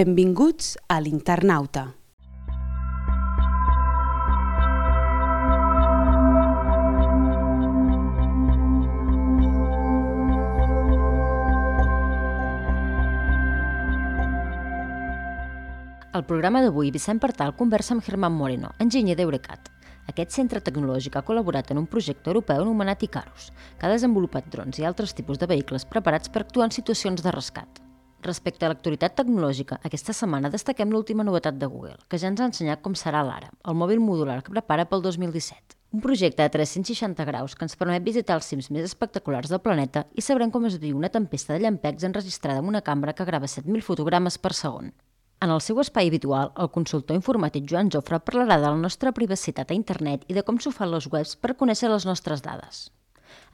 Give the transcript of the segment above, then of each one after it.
Benvinguts a l'Internauta. Al programa d'avui, Vicent Partal conversa amb Germán Moreno, enginyer d'Eurecat. Aquest centre tecnològic ha col·laborat en un projecte europeu anomenat Icarus, que ha desenvolupat drons i altres tipus de vehicles preparats per actuar en situacions de rescat. Respecte a l'actualitat tecnològica, aquesta setmana destaquem l'última novetat de Google, que ja ens ha ensenyat com serà l'Ara, el mòbil modular que prepara pel 2017. Un projecte de 360 graus que ens permet visitar els cims més espectaculars del planeta i sabrem com es viu una tempesta de llampecs enregistrada amb una càmera que grava 7.000 fotogrames per segon. En el seu espai habitual, el consultor informàtic Joan Jofre parlarà de la nostra privacitat a internet i de com s'ho fan les webs per conèixer les nostres dades.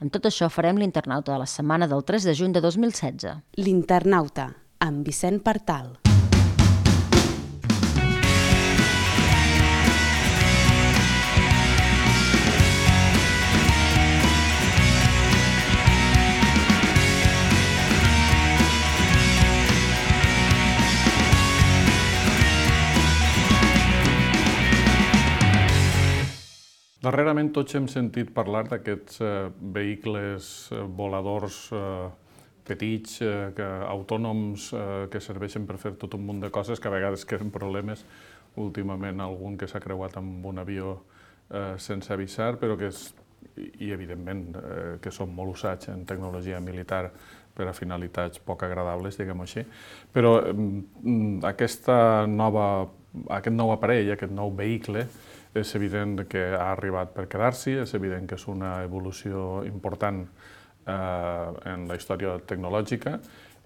Amb tot això farem l'Internauta de la setmana del 3 de juny de 2016. L'Internauta, amb Vicent Partal. Darrerament tots hem sentit parlar d'aquests vehicles voladors petits, autònoms, que serveixen per fer tot un munt de coses, que a vegades creen problemes. Últimament algun que s'ha creuat amb un avió sense avisar, però que i evidentment que són molt usats en tecnologia militar per a finalitats poc agradables, diguem-ho així. Però aquest nou aparell, aquest nou vehicle, és evident que ha arribat per quedar-s'hi, és evident que és una evolució important en la història tecnològica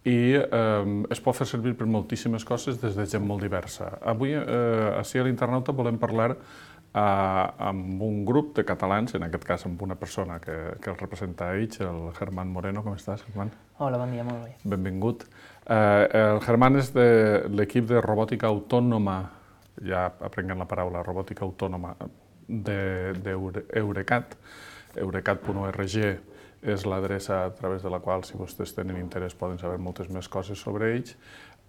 i es pot fer servir per moltíssimes coses des de gent molt diversa. Avui, ací a l'Internauta, volem parlar amb un grup de catalans, en aquest cas amb una persona que el representa a ells, el Germán Moreno. Com estàs, Germán? Hola, bon dia, molt bé. Benvingut. El Germán és de l'equip de robòtica autònoma, ja aprenguem la paraula, robòtica autònoma d'Eurecat. Eurecat.org és l'adreça a través de la qual, si vostès tenen interès, poden saber moltes més coses sobre ells.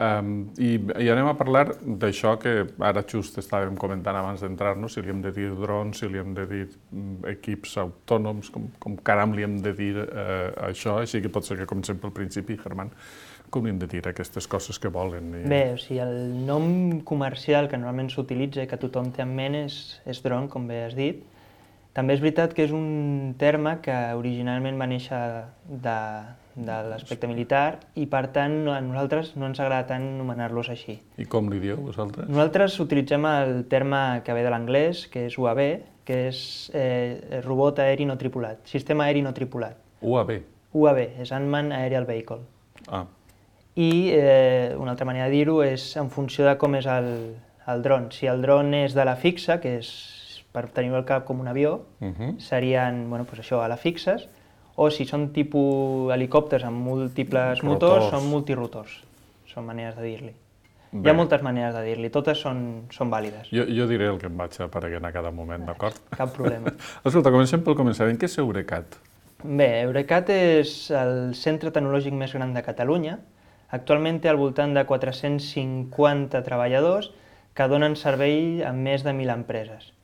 I anem a parlar d'això que ara just estàvem comentant abans d'entrar-nos, si li hem de dir drons, si li hem de dir equips autònoms, com caram li hem de dir això, així que pot ser que comencem pel principi, Germán. Com li hem de dir aquestes coses que volen? Bé, o sigui, el nom comercial que normalment s'utilitza i que tothom té en ment és dron, com bé has dit. També és veritat que és un terme que originalment va néixer de l'aspecte militar i, per tant, a nosaltres no ens agrada tant anomenar-los així. I com li dieu, vosaltres? Nosaltres utilitzem el terme que ve de l'anglès, que és UAV, que és robot aeri no tripulat, sistema aeri no tripulat. UAV? UAV, és Unmanned Aerial Vehicle. Ah. I una altra manera de dir-ho és en funció de com és el dron. Si el dron és de la fixa, que és per tenir-ho al cap com un avió, serien ala fixes, o si són tipus helicòpters amb múltiples motors, són multirotors. Són maneres de dir-li. Hi ha moltes maneres de dir-li, totes són vàlides. Jo diré el que em vaig apareguent a cada moment, d'acord? Cap problema. Escolta, comencem pel començament. Què és Eurecat? Bé, Eurecat és el centre tecnològic més gran de Catalunya. Actualment té al voltant de 450 treballadors que donen servei a més de 1.000 empreses.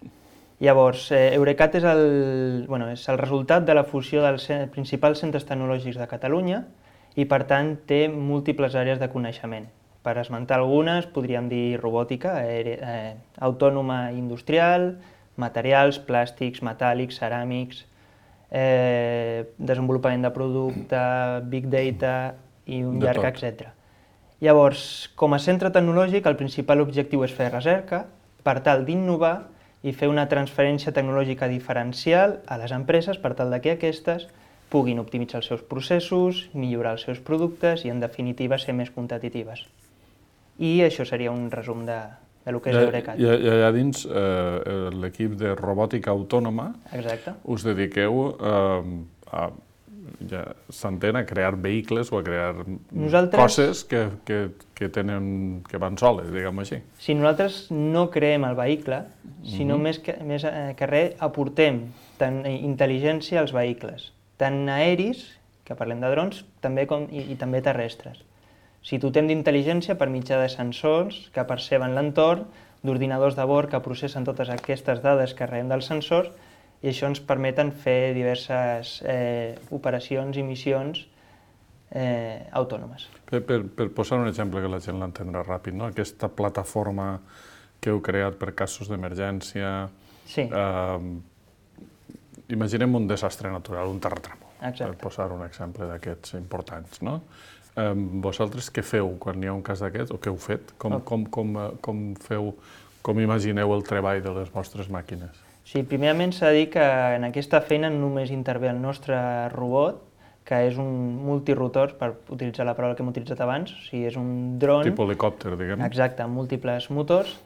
Llavors, Eurecat és el resultat de la fusió dels principals centres tecnològics de Catalunya i, per tant, té múltiples àrees de coneixement. Per esmentar algunes, podríem dir robòtica, autònoma industrial, materials, plàstics, metàl·lics, ceràmics, desenvolupament de producte, big data i un llarg etcètera. Llavors, com a centre tecnològic, el principal objectiu és fer recerca per tal d'innovar i fer una transferència tecnològica diferencial a les empreses per tal que aquestes puguin optimitzar els seus processos, millorar els seus productes i, en definitiva, ser més competitives. I això seria un resum de lo que és Eurecat. I allà dins, l'equip de robòtica autònoma, us dediqueu s'entén a crear vehicles o a crear coses que van soles, diguem-ho així. Si nosaltres no creem el vehicle, sinó més que res aportem tant intel·ligència als vehicles, tant aeris, que parlem de drons, i també terrestres. sigui, dotem d'intel·ligència per mitjà de sensors que perceben l'entorn, d'ordinadors de bord que processen totes aquestes dades que rebem dels sensors, i això ens permeten fer diverses operacions i missions autònomes. Per posar un exemple que la gent l'entendrà ràpid, no? Aquesta plataforma que heu creat per casos d'emergència... Sí. Imaginem un desastre natural, un terratrèmol, Exacte. per posar un exemple d'aquests importants, no? Vosaltres què feu quan hi ha un cas d'aquest, o què heu fet? Com feu, com imagineu el treball de les vostres màquines? Sí, primerament s'ha de dir que en aquesta feina només intervé el nostre robot, que és un multirotor, per utilitzar la paraula que hem utilitzat abans, o sigui, és un dron... Tipus helicòpter, diguem. Exacte, amb múltiples motors,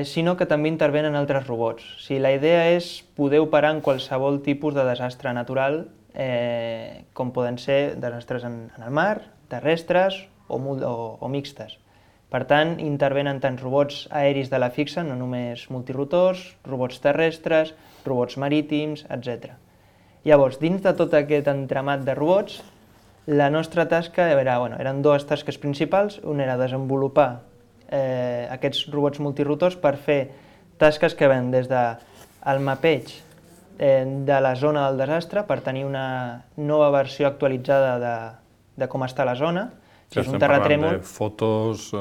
sinó que també intervenen altres robots. O sigui, la idea és poder operar en qualsevol tipus de desastre natural, com poden ser desastres en el mar, terrestres o mixtes. Per tant, intervenen tant robots aeris de la fixa, no només multirotors, robots terrestres, robots marítims, etc. Llavors, dins de tot aquest entramat de robots, la nostra tasca eren dues tasques principals. Una era desenvolupar aquests robots multirotors per fer tasques que ven des del mapeig de la zona del desastre per tenir una nova versió actualitzada de com està la zona. Si és un terratrèmol... De fotos...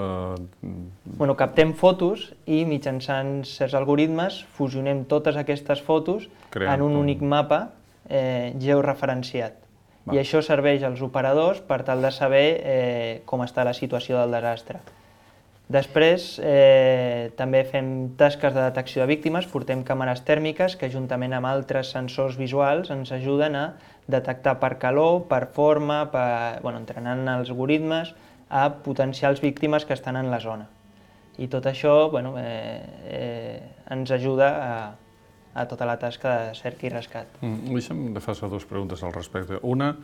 Captem fotos i mitjançant certs algoritmes fusionem totes aquestes fotos en un únic mapa georreferenciat. I això serveix als operadors per tal de saber com està la situació del desastre. Després també fem tasques de detecció de víctimes, portem càmeres tèrmiques que juntament amb altres sensors visuals ens ajuden a detectar per calor, per forma, entrenant els algoritmes a potencials víctimes que estan en la zona. I tot això ens ajuda a tota la tasca de cerca i rescat. Deixa'm de fer dues preguntes al respecte. Una,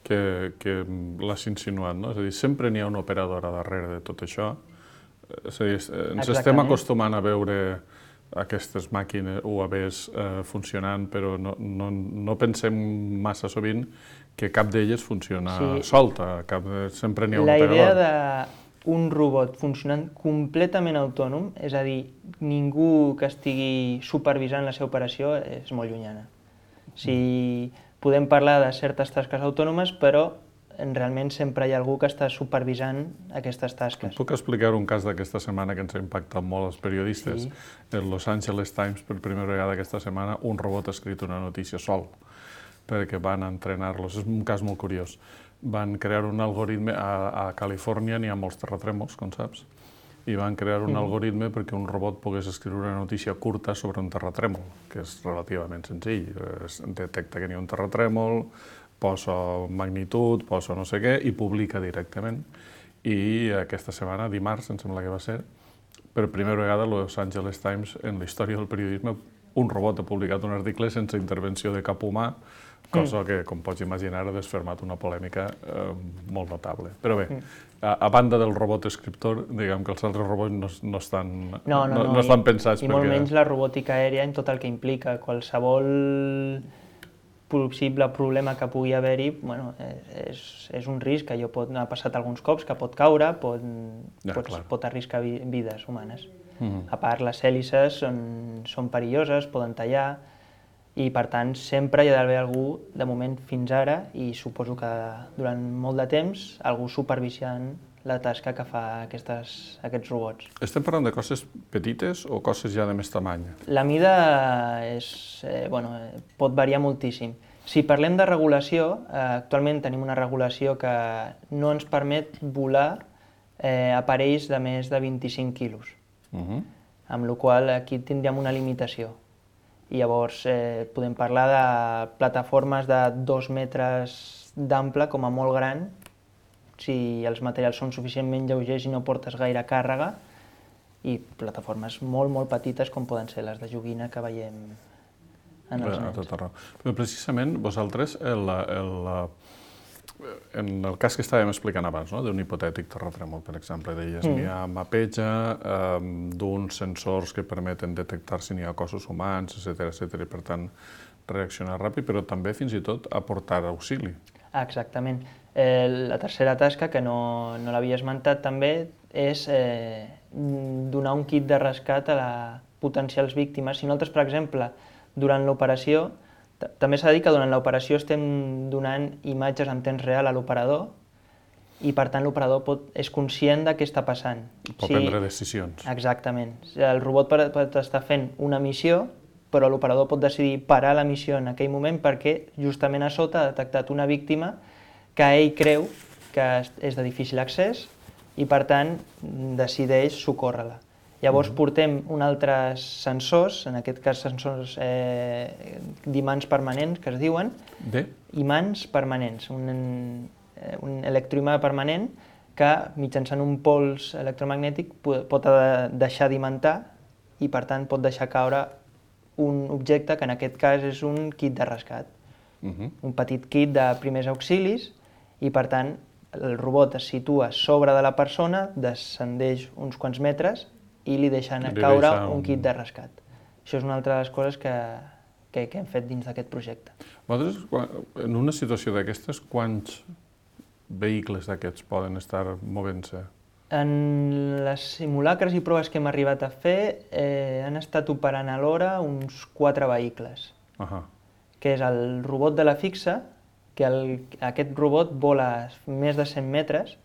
que l'has insinuat, no? És a dir, sempre n'hi ha una operadora darrere de tot això. És a dir, ens estem acostumant a veure aquestes màquines UAVs funcionant, però no pensem massa sovint que cap d'elles funciona solta, sempre n'hi ha un operador. La idea d'un robot funcionant completament autònom, és a dir, ningú que estigui supervisant la seva operació, és molt llunyana. Podem parlar de certes tasques autònomes, però realment sempre hi ha algú que està supervisant aquestes tasques. Puc explicar un cas d'aquesta setmana que ens ha impactat molt els periodistes? El Los Angeles Times, per primera vegada aquesta setmana, un robot ha escrit una notícia sol, perquè van entrenar-los. És un cas molt curiós. Van crear un algoritme, a Califòrnia n'hi ha molts terratrèmols, com saps, i van crear un algoritme perquè un robot pogués escriure una notícia curta sobre un terratrèmol, que és relativament senzill. Detecta que n'hi ha un terratrèmol, posa magnitud, posa no sé què, i publica directament. I aquesta setmana, dimarts, em sembla que va ser, per primera vegada a Los Angeles Times, en la història del periodisme, un robot ha publicat un article sense intervenció de cap humà, cosa que, com pots imaginar, ha desfermat una polèmica molt notable. Però bé, a banda del robot escriptor, diguem que els altres robots no estan pensats perquè... I molt menys la robòtica aèria en tot el que implica. Qualsevol possible problema que pugui haver-hi, és un risc que ha passat alguns cops, que pot caure, pot arriscar vides humanes. A part, les hèlices són perilloses, poden tallar, i per tant sempre hi ha d'haver algú, de moment fins ara, i suposo que durant molt de temps, algú supervisant la tasca que fa aquests robots. Estem parlant de coses petites o coses ja de més tamany? La mida pot variar moltíssim. Si parlem de regulació, actualment tenim una regulació que no ens permet volar aparells de més de 25 quilos, amb la qual cosa aquí tindríem una limitació. I llavors podem parlar de plataformes de 2 metres d'ample com a molt gran, si els materials són suficientment lleugers i no portes gaire càrrega, i plataformes molt, molt petites com poden ser les de joguina que veiem en els nens. Però precisament vosaltres, en el cas que estàvem explicant abans, d'un hipotètic terratrèmol, per exemple, deies, n'hi ha mapeja d'uns sensors que permeten detectar si n'hi ha cossos humans, etc. I per tant reaccionar ràpid, però també fins i tot aportar auxili. Exactament. La tercera tasca, que no l'havia esmentat també, és donar un kit de rescat a les potencials víctimes. Si nosaltres, per exemple, durant l'operació, també s'ha de dir que durant l'operació estem donant imatges en temps real a l'operador i, per tant, l'operador és conscient de què està passant. Pot prendre decisions. Exactament. El robot pot estar fent una missió, però l'operador pot decidir parar la missió en aquell moment perquè justament a sota ha detectat una víctima que ell creu que és de difícil accés i, per tant, decideix socórrer-la. Llavors portem uns altres sensors, en aquest cas sensors d'imants permanents, que es diuen. Imants permanents, un electroimà permanent que mitjançant un pols electromagnètic pot deixar d'imantar i, per tant, pot deixar caure un objecte que en aquest cas és un kit de rescat. Un petit kit de primers auxilis i, per tant, el robot es situa sobre de la persona, descendeix uns quants metres i li deixen caure un kit de rescat. Això és una altra de les coses que hem fet dins d'aquest projecte. Vosaltres, en una situació d'aquestes, quants vehicles d'aquests poden estar movent-se? En les simulacres i proves que hem arribat a fer han estat operant alhora uns 4 vehicles, que és el robot de la fixa, que aquest robot vola més de 100 metres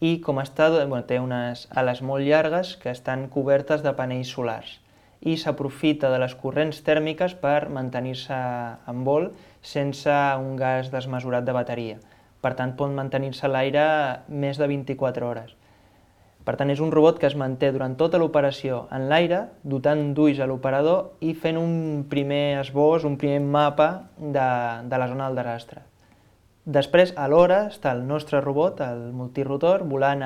i té unes ales molt llargues que estan cobertes de panells solars i s'aprofita de les corrents tèrmiques per mantenir-se en vol sense un gas desmesurat de bateria. Per tant, pot mantenir-se a l'aire més de 24 hores. Per tant, és un robot que es manté durant tota l'operació en l'aire, dotant d'ulls a l'operador i fent un primer esbós, un primer mapa de la zona del desastre. Després, alhora, està el nostre robot, el multirotor, volant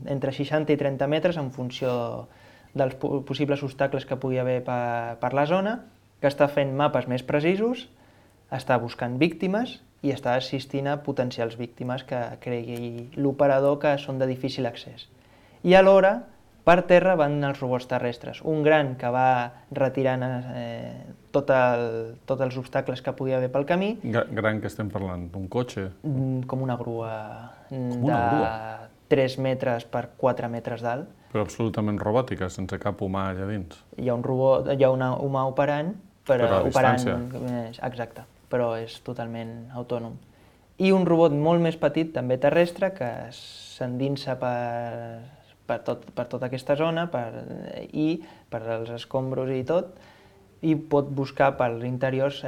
entre 60 i 30 metres en funció dels possibles obstacles que pugui haver per la zona, que està fent mapes més precisos, està buscant víctimes i està assistint a potencials víctimes que cregui l'operador que són de difícil accés. I alhora, per terra van els robots terrestres, un gran que va retirant tots els obstacles que podia haver pel camí. Gran que estem parlant? Un cotxe? Com una grua de 3 metres per 4 metres d'alt. Però absolutament robòtica, sense cap humà allà dins? Hi ha un robot, hi ha un humà operant, però a distància? Exacte, però és totalment autònom. I un robot molt més petit, també terrestre, que s'endinsa per tota aquesta zona i per als escombros i tot, i pot buscar per interiors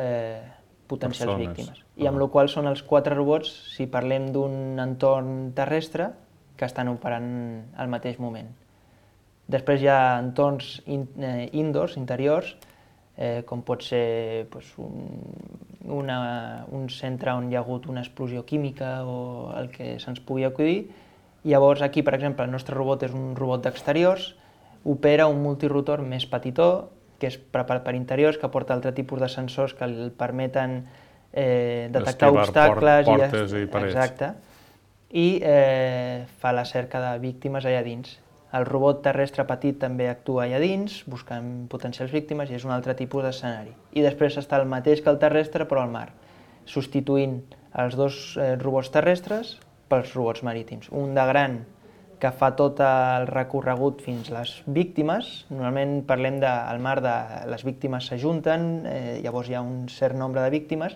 potencials víctimes. I amb la qual són els 4 robots, si parlem d'un entorn terrestre, que estan operant al mateix moment. Després hi ha entorns indoors, interiors, com pot ser un centre on hi ha hagut una explosió química o el que se'ns pugui acudir. Llavors aquí, per exemple, el nostre robot és un robot d'exteriors, opera un multirotor més petitó, que és preparat per interiors, que porta altre tipus de sensors que el permeten detectar obstacles. Portes i parets. Exacte. I fa la cerca de víctimes allà dins. El robot terrestre petit també actua allà dins, buscant potencials víctimes, i és un altre tipus d'escenari. I després està el mateix que el terrestre, però al mar, substituint els 2 robots terrestres pels robots marítims. Un de gran que fa tot el recorregut fins a les víctimes. Normalment parlem del mar, les víctimes s'ajunten, llavors hi ha un cert nombre de víctimes,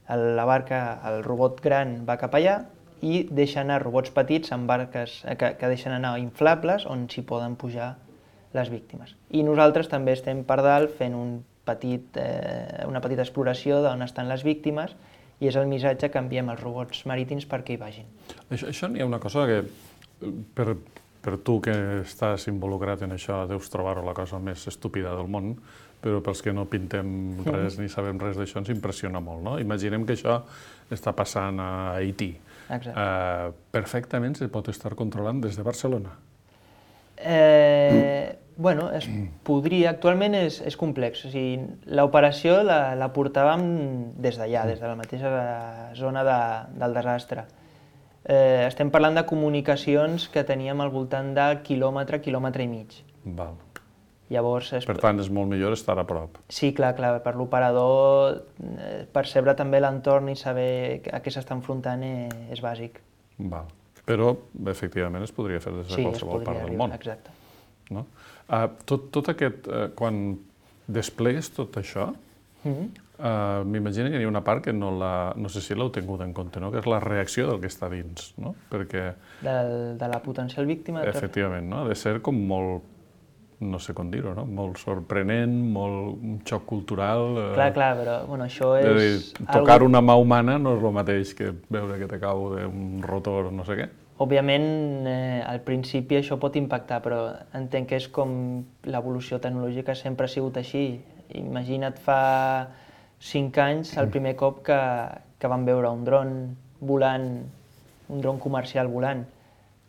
la barca, el robot gran va cap allà i deixa anar robots petits en barques que deixen anar inflables on s'hi poden pujar les víctimes. I nosaltres també estem per dalt fent una petita exploració d'on estan les víctimes i és el missatge que enviem als robots marítims perquè hi vagin. Això n'hi ha una cosa que, per tu que estàs involucrat en això, deus trobar-ho la cosa més estúpida del món, però pels que no pintem res ni sabem res d'això ens impressiona molt, no? Imaginem que això està passant a Haití. Perfectament se pot estar controlant des de Barcelona. Bueno, es podria. Actualment és complex. L'operació la portàvem des d'allà, des de la mateixa zona del desastre. Estem parlant de comunicacions que teníem al voltant de quilòmetre, quilòmetre i mig. Val. Llavors, per tant, és molt millor estar a prop. Sí, clar, per l'operador percebre també l'entorn i saber a què s'està enfrontant és bàsic. Val. Però, efectivament, es podria fer des de qualsevol part del món. Exacte. No? Tot aquest, quan desplegues tot això, m'imagino que hi ha una part que no sé si l'heu tingut en compte, no? Que és la reacció del que està dins, no? Perquè... De la potencial víctima? Efectivament, no? Ha de ser com molt, no sé com dir-ho, no? Molt sorprenent, molt un xoc cultural... Clar, però bueno, això és... Tocar una mà humana no és el mateix que veure que te cau d'un rotor o no sé què. Òbviament, al principi això pot impactar, però entenc que és com l'evolució tecnològica sempre ha sigut així. Imagina't fa 5 anys, el primer cop que vam veure un dron volant, un dron comercial volant,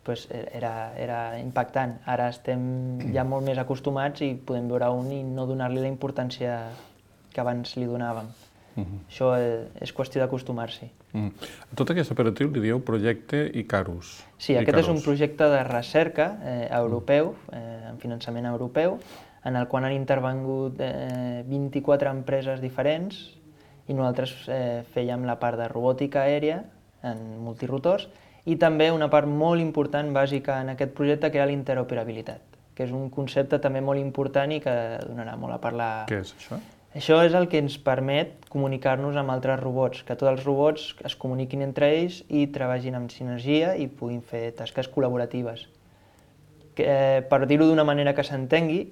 doncs era impactant. Ara estem ja molt més acostumats i podem veure un i no donar-li la importància que abans li donàvem. Això és qüestió d'acostumar-s'hi. A tot aquest operatiu li dieu projecte Icarus. Sí, aquest és un projecte de recerca europeu, amb finançament europeu, en el qual han intervingut 24 empreses diferents i nosaltres fèiem la part de robòtica aèria en multirotors i també una part molt important, bàsica en aquest projecte, que era l'interoperabilitat, que és un concepte també molt important i que donarà molt a parlar. Què és això? Això és el que ens permet comunicar-nos amb altres robots, que tots els robots es comuniquin entre ells i treballin amb sinergia i puguin fer tasques col·laboratives. Per dir-ho d'una manera que s'entengui,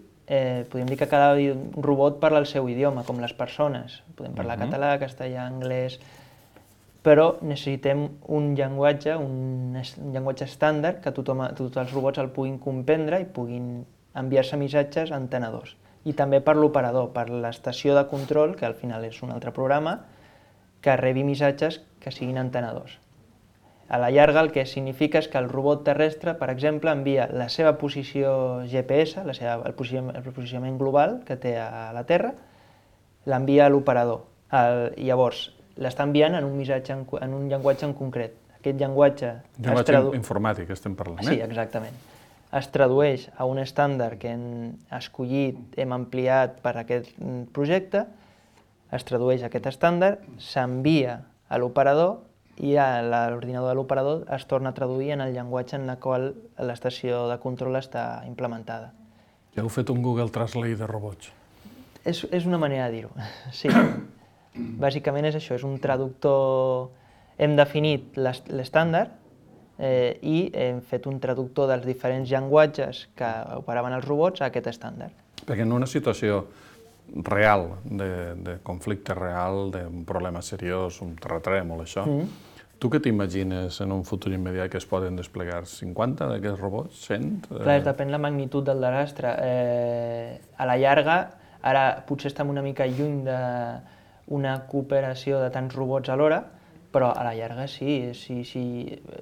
podem dir que cada robot parla el seu idioma, com les persones. Podem parlar català, castellà, anglès... Però necessitem un llenguatge estàndard que tots els robots el puguin comprendre i puguin enviar-se missatges a entenedors. I també per l'operador, per l'estació de control, que al final és un altre programa, que rebi missatges que siguin entenedors. A la llarga el que significa és que el robot terrestre, per exemple, envia la seva posició GPS, el posicionament global que té a la Terra, l'envia a l'operador. Llavors, l'està enviant en un missatge, en un llenguatge en concret. Aquest llenguatge... Llenguatge informàtic estem parlant, Sí, exactament. Es tradueix a un estàndard que hem escollit, hem ampliat per aquest projecte, es tradueix a aquest estàndard, s'envia a l'operador i a l'ordinador de l'operador es torna a traduir en el llenguatge en el qual l'estació de control està implementada. Ja heu fet un Google Translate de robots. És una manera de dir-ho, sí. Bàsicament és això, és un traductor... Hem definit l'estàndard i hem fet un traductor dels diferents llenguatges que operaven els robots a aquest estàndard. Perquè en una situació real, de conflicte real, d'un problema seriós, un terratrèmol, això, tu què t'imagines en un futur immediat que es poden desplegar 50 d'aquests robots, 100? Clar, depèn la magnitud del desastre. A la llarga, ara potser estem una mica lluny d'una cooperació de tants robots alhora, però a la llarga sí.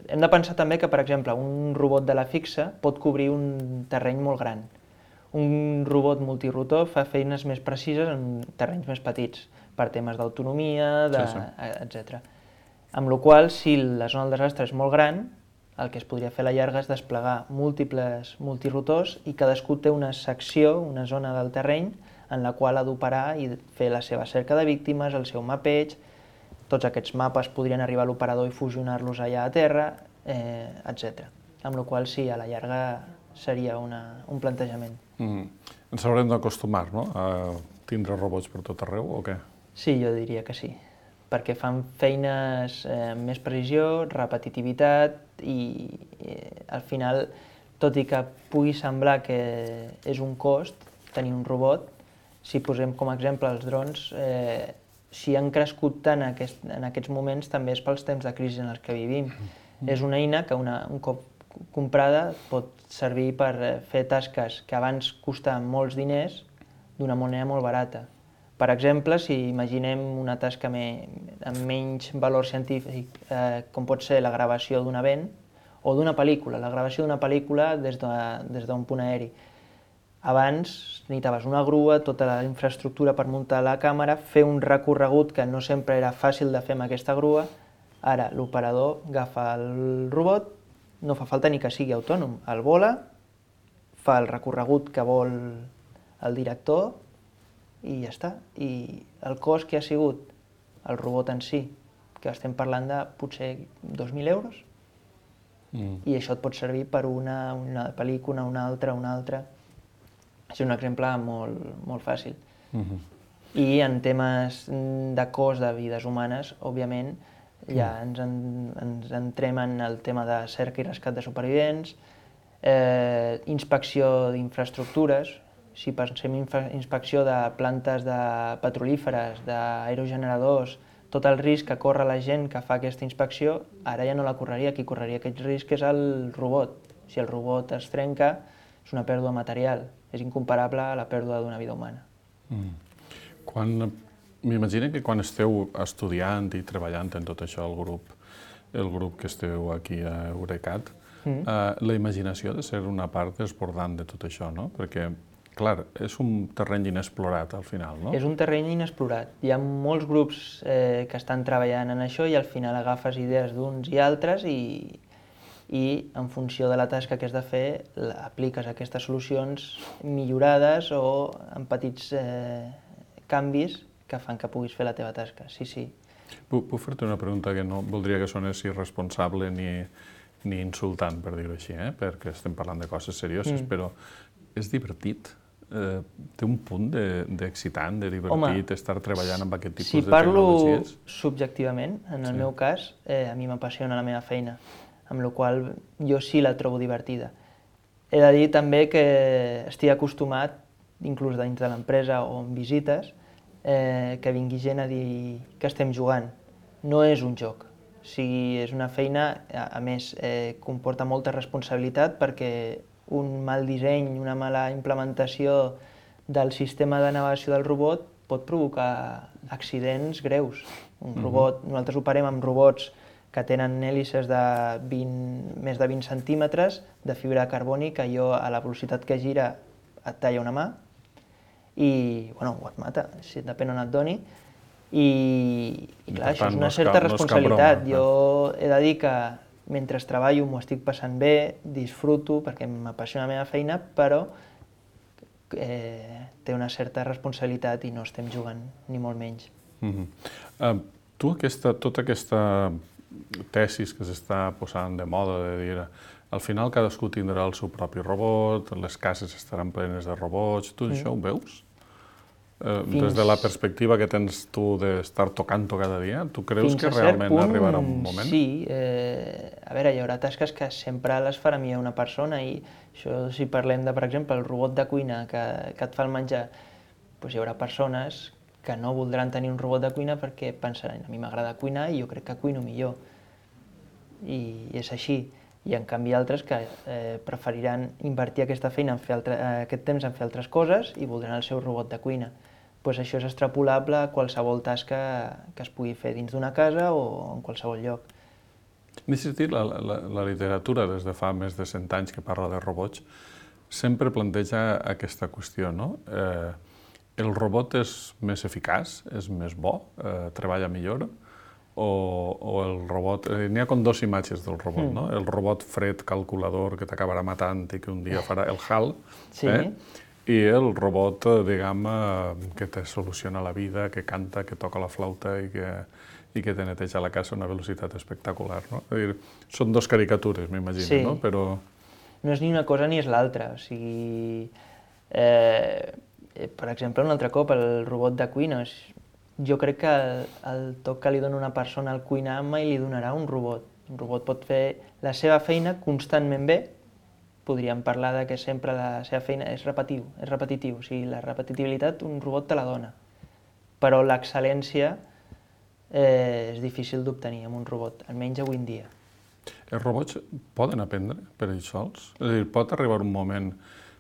Hem de pensar també que, per exemple, un robot de la fixa pot cobrir un terreny molt gran. Un robot multirotor fa feines més precises en terrenys més petits, per temes d'autonomia, etc. Amb la qual cosa, si la zona del desastre és molt gran, el que es podria fer a la llarga és desplegar múltiples multirotors i cadascú té una secció, una zona del terreny, en la qual ha d'operar i fer la seva cerca de víctimes, el seu mapeig. Tots aquests mapes podrien arribar a l'operador i fusionar-los allà a terra, etc. Amb la qual cosa, sí, a la llarga seria un plantejament. Ens haurem d'acostumar, no?, a tindre robots per tot arreu, o què? Sí, jo diria que sí, perquè fan feines amb més precisió, repetitivitat i al final, tot i que pugui semblar que és un cost tenir un robot, si posem com a exemple els drons, si han crescut tant en aquests moments també és pels temps de crisi en els que vivim. És una eina que un cop comprada pot servir per fer tasques que abans costaven molts diners d'una manera molt barata. Per exemple, si imaginem una tasca amb menys valor científic, com pot ser la gravació d'un event o d'una pel·lícula, la gravació d'una pel·lícula des d'un punt aeri. Abans necessitaves una grua, tota la infraestructura per muntar la càmera, fer un recorregut que no sempre era fàcil de fer amb aquesta grua. Ara l'operador agafa el robot, no fa falta ni que sigui autònom, el vola, fa el recorregut que vol el director i ja està. I el cost que ha sigut el robot en si, que estem parlant de potser 2.000 euros, i això et pot servir per una pel·lícula, una altra. És un exemple molt fàcil. I en temes de cost de vides humanes, òbviament, ja ens entrem en el tema de cerca i rescat de supervivents, inspecció d'infraestructures. Si pensem inspecció de plantes petrolíferes, d'aerogeneradors, tot el risc que corre la gent que fa aquesta inspecció, ara ja no la correria, qui correria aquest risc és el robot. Si el robot es trenca, és una pèrdua material, és incomparable a la pèrdua d'una vida humana. M'imagino que quan esteu estudiant i treballant en tot això, el grup que esteu aquí a Eurecat, la imaginació ha de ser una part desbordant de tot això, no? Perquè, clar, és un terreny inexplorat al final, no? És un terreny inexplorat. Hi ha molts grups que estan treballant en això i al final agafes idees d'uns i altres i en funció de la tasca que has de fer apliques aquestes solucions millorades o amb petits canvis que fan que puguis fer la teva tasca. Sí. Puc fer-te una pregunta que no voldria que sonés irresponsable ni insultant, per dir-ho així, perquè estem parlant de coses serioses, però és divertit? Té un punt d'excitant, de divertit, estar treballant amb aquest tipus de tecnologies? Si parlo subjectivament, en el meu cas, a mi m'apassiona la meva feina, amb la qual jo sí la trobo divertida. He de dir també que estic acostumat, inclús dins de l'empresa o en visites, que vingui gent a dir que estem jugant. No és un joc. O sigui, és una feina, a més, comporta molta responsabilitat perquè un mal disseny, una mala implementació del sistema de navegació del robot pot provocar accidents greus. Nosaltres operem amb robots que tenen hèlices de més de 20 centímetres de fibra de carboni que a la velocitat que gira et talla una mà i o et mata, depèn on et doni. I clar, això és una certa responsabilitat. Jo he de dir que mentre treballo m'ho estic passant bé, disfruto perquè m'apassiona la meva feina, però té una certa responsabilitat i no estem jugant, ni molt menys. Tu, tota aquesta tesis que s'està posant de moda, de dir al final cadascú tindrà el seu propi robot, les cases estaran plenes de robots, tu això ho veus? Des de la perspectiva que tens tu d'estar tocant-ho cada dia, tu creus que realment arribarà un moment? Sí. A veure, hi haurà tasques que sempre les farà millor una persona i això, si parlem de, per exemple, el robot de cuina que et fa el menjar, doncs hi haurà persones que no voldran tenir un robot de cuina perquè pensaran, a mi m'agrada cuinar i jo crec que cuino millor. I és així. I en canvi altres que preferiran invertir aquesta feina, aquest temps en fer altres coses i voldran el seu robot de cuina. Doncs això és extrapolable a qualsevol tasca que es pugui fer dins d'una casa o en qualsevol lloc. M'he sentit la literatura des de fa més de 100 anys que parla de robots, sempre planteja aquesta qüestió, no? El robot és més eficaç, és més bo, treballa millor, o el robot... N'hi ha com dues imatges del robot, no? El robot fred calculador que t'acabarà matant i que un dia farà el HAL, i el robot, diguem, que te soluciona la vida, que canta, que toca la flauta i que te neteja la casa a una velocitat espectacular, no? És a dir, són dues caricatures, m'imagino, no? Però... No és ni una cosa ni és l'altra, o sigui... Per exemple, un altre cop, el robot de cuina. Jo crec que el toc que li dona una persona al cuinar mai li donarà un robot. Un robot pot fer la seva feina constantment bé. Podríem parlar de que sempre la seva feina és repetitiu. O sigui, la repetitivitat un robot te la dona. Però l'excel·lència és difícil d'obtenir amb un robot, almenys avui en dia. Els robots poden aprendre per ells sols? És a dir, pot arribar un moment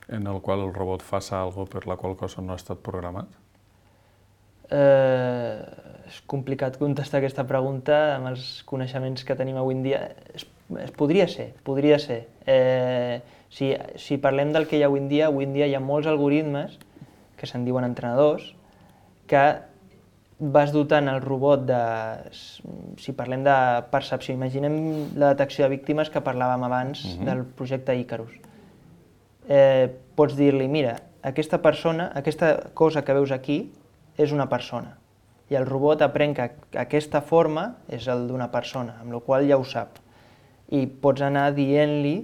en el qual el robot faça alguna cosa per la qual cosa no ha estat programat? És complicat contestar aquesta pregunta amb els coneixements que tenim avui en dia. Podria ser. Si parlem del que hi ha avui en dia hi ha molts algoritmes que se'n diuen entrenadors que vas dotant el robot de... Si parlem de percepció, imaginem la detecció de víctimes que parlàvem abans del projecte Icarus. Pots dir-li, mira, aquesta cosa que veus aquí és una persona. I el robot aprèn que aquesta forma és el d'una persona, amb la qual cosa ja ho sap. i pots anar dient-li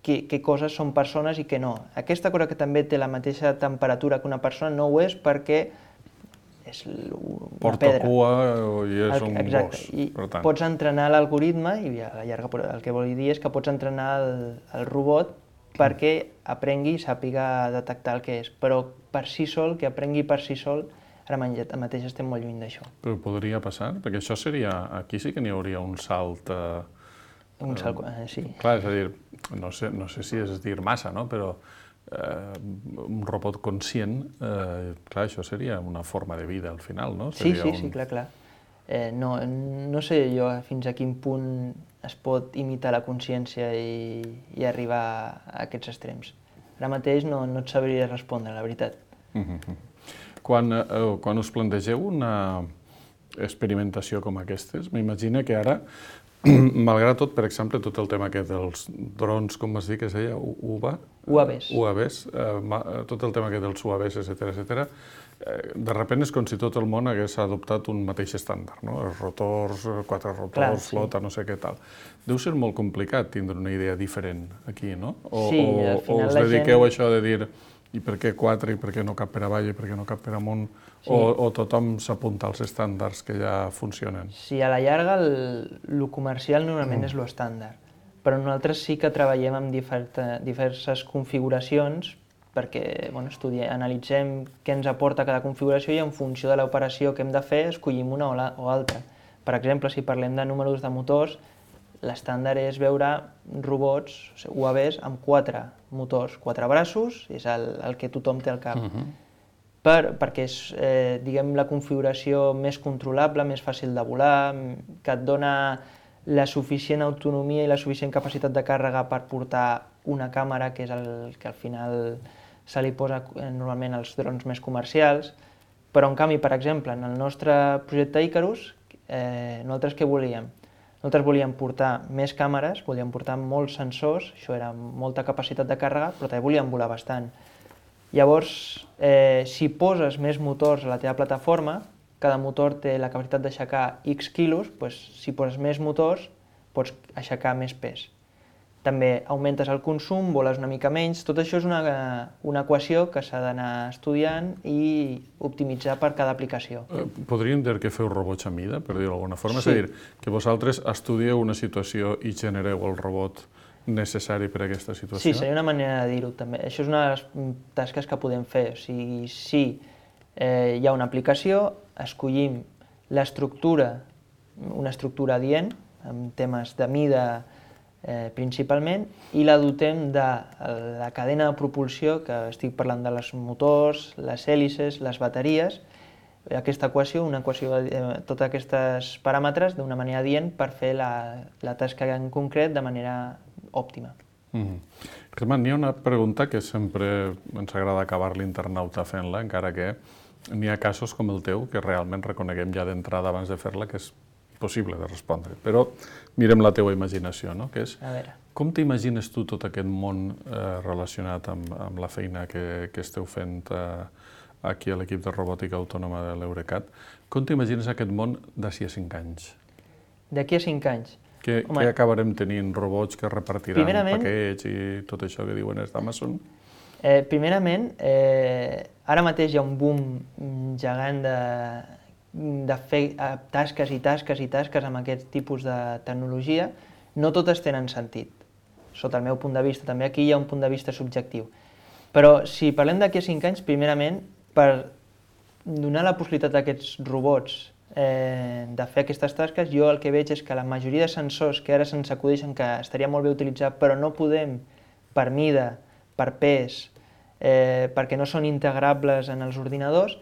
què coses són persones i què no. Aquesta cosa que també té la mateixa temperatura que una persona no ho és perquè és una Porta pedra. cua i és un Exacte. gos, I per tant. pots entrenar l'algoritme, i a la llarga el que vol dir és que pots entrenar el robot perquè aprengui i sàpiga detectar el que és, però per si sol, que aprengui per si sol, ara mateix estem molt lluny d'això. Però podria passar? Perquè això seria... Aquí sí que n'hi hauria un salt... Sí. Clar, és a dir, no sé si és dir massa, no? Però un robot conscient, clar, això seria una forma de vida al final, no? Sí, clar. No sé jo fins a quin punt es pot imitar la consciència i arribar a aquests extrems. Ara mateix no et sabria respondre, la veritat. Quan us plantegeu una experimentació com aquestes, m'imagino que ara, malgrat tot, per exemple, tot el tema aquest dels drons, com vas dir que es deia, UAVs, tot el tema aquest dels UAVs, etcètera, de sobte és com si tot el món hagués adoptat un mateix estàndard, no? Els rotors, 4 rotors, flota, no sé què tal. Deu ser molt complicat tindre una idea diferent aquí, no? O us dediqueu a això de dir i per què 4, i per què no cap per avall, i per què no cap per amunt, o tothom s'apunta als estàndards que ja funcionen? Sí, a la llarga el comercial normalment és l'estàndard, però nosaltres sí que treballem amb diverses configuracions perquè analitzem què ens aporta cada configuració i en funció de l'operació que hem de fer escollim una o altra. Per exemple, si parlem de números de motors, l'estàndard és veure robots, UAVs, amb 4 motors, 4 braços, és el que tothom té al cap. Perquè és, diguem, la configuració més controlable, més fàcil de volar, que et dona la suficient autonomia i la suficient capacitat de càrrega per portar una càmera, que és el que al final se li posa normalment als drons més comercials, però en canvi, per exemple, en el nostre projecte Icarus, nosaltres què volíem? Nosaltres volíem portar més càmeres, volíem portar molts sensors, això era molta capacitat de càrrega, però també volíem volar bastant. Llavors, si poses més motors a la teva plataforma, cada motor té la capacitat d'aixecar X quilos, doncs, si poses més motors, pots aixecar més pes. També augmentes el consum, voles una mica menys, tot això és una equació que s'ha d'anar estudiant i optimitzar per cada aplicació. Podríem dir que feu robots a mida, per dir-ho d'alguna forma? Sí. És a dir, que vosaltres estudieu una situació i genereu el robot necessari per a aquesta situació? Sí, seria una manera de dir-ho també. Això és una de les tasques que podem fer. O sigui, si hi ha una aplicació, escollim l'estructura, una estructura adient, amb temes de mida principalment, i la dotem de la cadena de propulsió, que estic parlant de les motors, les hèlices, les bateries, aquesta equació, una equació de tots aquests paràmetres d'una manera adient per fer la tasca en concret de manera òptima. Germán, hi ha una pregunta que sempre ens agrada acabar l'internauta fent-la, encara que n'hi ha casos com el teu que realment reconeguem ja d'entrada abans de fer-la que és possible de respondre, però mirem la teua imaginació, no? Que és, com t'imagines tu tot aquest món relacionat amb la feina que esteu fent aquí a l'equip de robòtica autònoma de l'Eurecat? Com t'imagines aquest món d'ací a 5 anys? D'aquí a 5 anys? Que acabarem tenint robots que repartiran paquets i tot això que diuen els d'Amazon? Primerament, ara mateix hi ha un boom gegant de fer tasques i tasques i tasques amb aquest tipus de tecnologia. No totes tenen sentit, sota el meu punt de vista. També aquí hi ha un punt de vista subjectiu. Però si parlem d'aquí a 5 anys, primerament, per donar la possibilitat a aquests robots de fer aquestes tasques, jo el que veig és que la majoria de sensors que ara se'ns acudeixen que estaria molt bé utilitzar, però no podem per mida, per pes, perquè no són integrables en els ordinadors,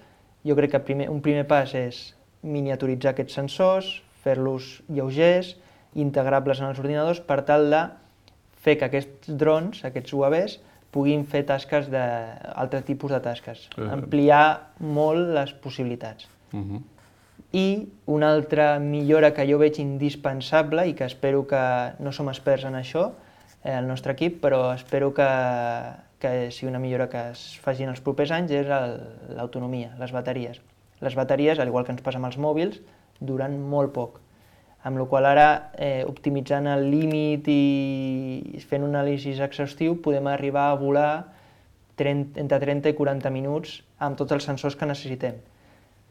jo crec que un primer pas és miniaturitzar aquests sensors, fer-los lleugers, integrables en els ordinadors, per tal de fer que aquests drons, aquests UAVs, puguin fer tasques d'altre tipus de tasques, ampliar molt les possibilitats. I una altra millora que jo veig indispensable i que espero que no som experts en això, el nostre equip, però espero que sigui una millora que es faci en els propers anys, és l'autonomia, les bateries. Les bateries, al igual que ens passa amb els mòbils, duren molt poc. amb la qual cosa ara, optimitzant el límit i fent un anàlisi exhaustiu, podem arribar a volar entre 30 i 40 minuts amb tots els sensors que necessitem.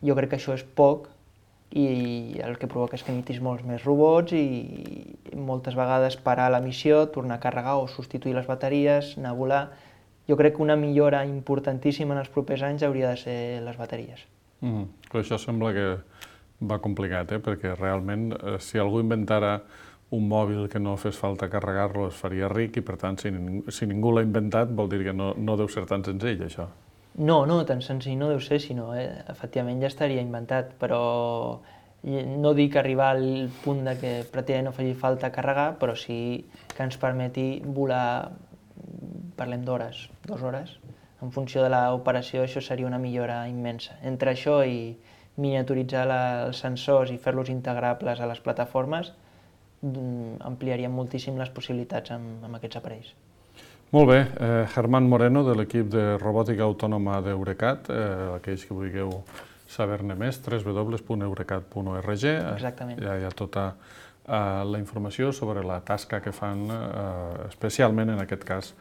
Jo crec que això és poc i el que provoca és que emitis molts més robots i moltes vegades parar la missió, tornar a carregar o substituir les bateries, anar a volar. Jo crec que una millora importantíssima en els propers anys hauria de ser les bateries. Però això sembla que va complicat, perquè realment si algú inventara un mòbil que no fes falta carregar-lo es faria ric i per tant si ningú l'ha inventat vol dir que no deu ser tan senzill això. No, tan senzill no deu ser, sinó efectivament ja estaria inventat, però no dic arribar al punt de que pràcticament no faci falta carregar, però sí que ens permeti volar, parlem d'hores, 2 hores, en funció de l'operació això seria una millora immensa. Entre això i miniaturitzar els sensors i fer-los integrables a les plataformes ampliaríem moltíssim les possibilitats amb aquests aparells. Molt bé, Germán Moreno, de l'equip de robòtica autònoma d'Eurecat, aquells que vulgueu saber-ne més, www.eurecat.org. Exactament. Hi ha tota la informació sobre la tasca que fan, especialment en aquest cas,